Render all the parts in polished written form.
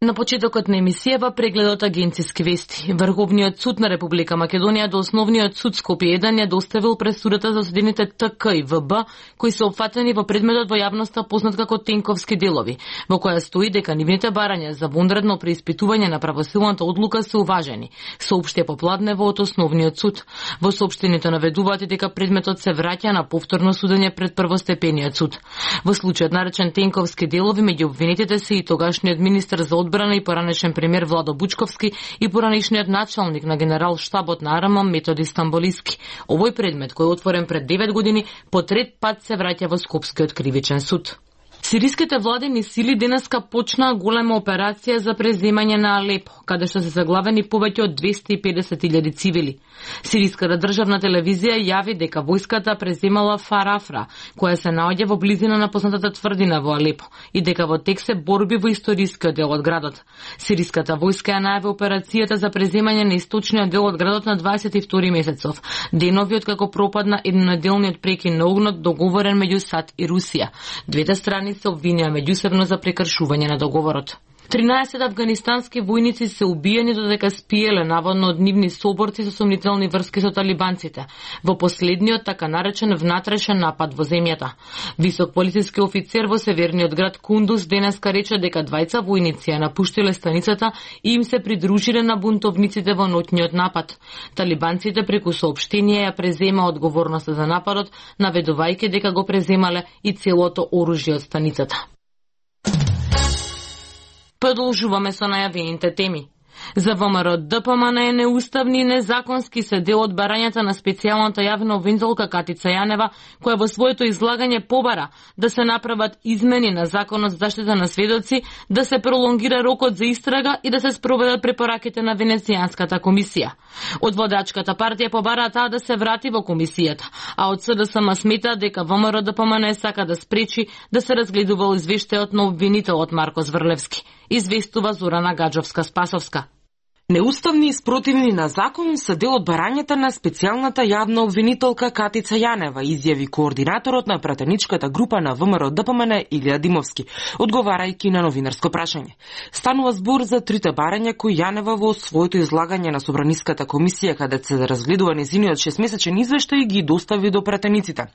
На почетокот на емисијава прегледот агенциски вести. Врховниот суд на Република Македонија до Основниот суд Скопје 1 ја доставил пресудата за осудените ТК и ВБ, кои се опфатени во предметот во јавноста познат како Тенковски делови, во која стои дека нивните барања за вонредно преиспитување на правосилната одлука се уважени, соопшти Попладнево од Основниот суд. Во соопштението наведуваат и дека предметот се враќа на повторно судење пред првостепениот суд. Во случајот наречен Тенковски делови, меѓу обвинетите се и тогашниот министер за одбрана и поранешен премиер Владо Бучковски и поранешниот началник на генерал штабот на АРМ Методи Стамболиски. Овој предмет, кој е отворен пред 9 години, по трет пат се враќа во Скопскиот кривичен суд. Сириските владени сили денеска почнаа голема операција за преземање на Алепо, каде што се заглавени повеќе од 250.000 цивили. Сириската државна телевизија јави дека војската преземала Фарафра, која се наоѓа во близина на познатата тврдина во Алепо, и дека во тек се борби во историскиот дел од градот. Сириската војска ја најави операцијата за преземање на источниот дел од градот на 22 месецов, денови откако пропадна еднонеделниот прекин на огнот договорен меѓу САД и Русија. Двете страни се обвинија меѓусебно за прекршување на договорот. 13 афганистански војници се убиени додека спиеле наводно од нивни соборци со сомнителни врски со талибанците во последниот така наречен внатрешен напад во земјата. Висок полициски офицер во северниот град Кундуз денеска рече дека двајца војници ја напуштиле станицата и им се придружиле на бунтовниците во ноќниот напад. Талибанците преку соопштение ја презема одговорноста за нападот, наведувајќи дека го преземале и целото оружје од станицата. Продолжуваме со најавените теми. За ВМРО ДПМН е неуставни и незаконски се дел од барањата на специјалната јавна обвинителка Катица Јанева, која во своето излагање побара да се направат измени на Законот за заштита на сведоци, да се пролонгира рокот за истрага и да се спроведат препораките на Венецијанската комисија. Од водачката партија побараа таа да се врати во комисијата, а од СДСМ смета дека ВМРО ДПМН сака да спречи да се разгледува извештајот на обвинителот Марко Зврлевски. Известува Зорана Гаджовска-Спасовска. Неуставни и спротивни на закон се дел од барањата на специјалната јавна обвинителка Катица Јанева, изјави координаторот на пратеничката група на ВМРО ДПМН Илија Димовски, одговарајќи на новинарско прашање. Станува збор за трите барања кои Јанева во своето излагање на Собраниската комисија, каде се разгледува незиниот 6-месечен извештај, ги достави до пратениците.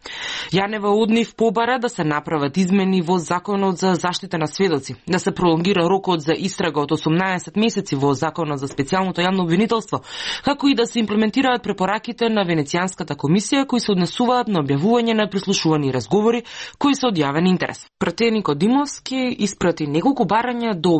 Јанева од нив побара да се направат измени во Законот за заштита на сведоци, да се пролонгира рокот за истрага од 18 месеци во Законот за специјалното јавно обвинителство, како и да се имплементираат препораките на Венецијанската комисија кои се однесуваат на објавување на прислушувани разговори кои се од јавен интерес. Пратеникот Димовски испрати неколку барања до